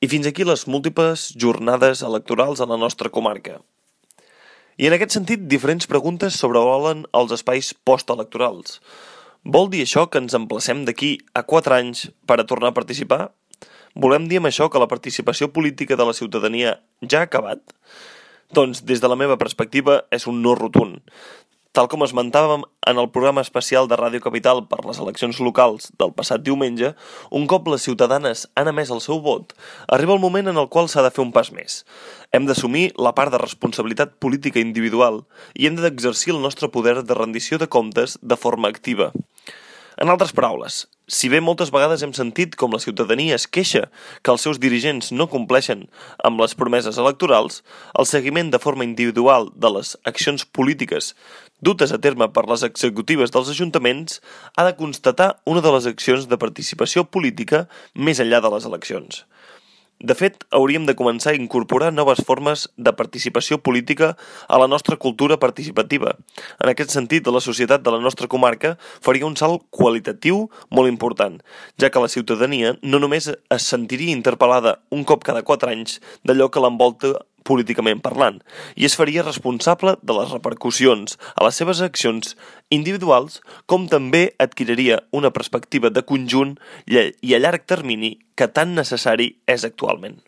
I fins aquí les múltiples jornades electorals a la nostra comarca. I en aquest sentit, diferents preguntes sobrevolen els espais postelectorals. Vol dir això que ens emplacem d'aquí a 4 anys per a tornar a participar? Volem dir amb això que la participació política de la ciutadania ja ha acabat? Doncs, des de la meva perspectiva, és un no rotund. Tal com esmentàvem en el programa especial de Ràdio Capital per les eleccions locals del passat diumenge, un cop les ciutadanes han emès el seu vot, arriba el moment en el qual s'ha de fer un pas més. Hem d'assumir la part de responsabilitat política individual i hem d'exercir el nostre poder de rendició de comptes de forma activa. En altres paraules, si bé moltes vegades hem sentit com la ciutadania es queixa que els seus dirigents no compleixen amb les promeses electorals, el seguiment de forma individual de les accions polítiques dutes a terme per les executives dels ajuntaments ha de constatar una de les accions de participació política més enllà de les eleccions. De fet, hauríem de començar a incorporar noves formes de participació política a la nostra cultura participativa. En aquest sentit, la societat de la nostra comarca faria un salt qualitatiu molt important, ja que la ciutadania no només es sentiria interpel·lada un cop cada 4 anys d'allò que l'envolta políticament parlant, i es faria responsable de les repercussions a les seves accions individuals, com també adquiriria una perspectiva de conjunt i a llarg termini que tan necessari és actualment.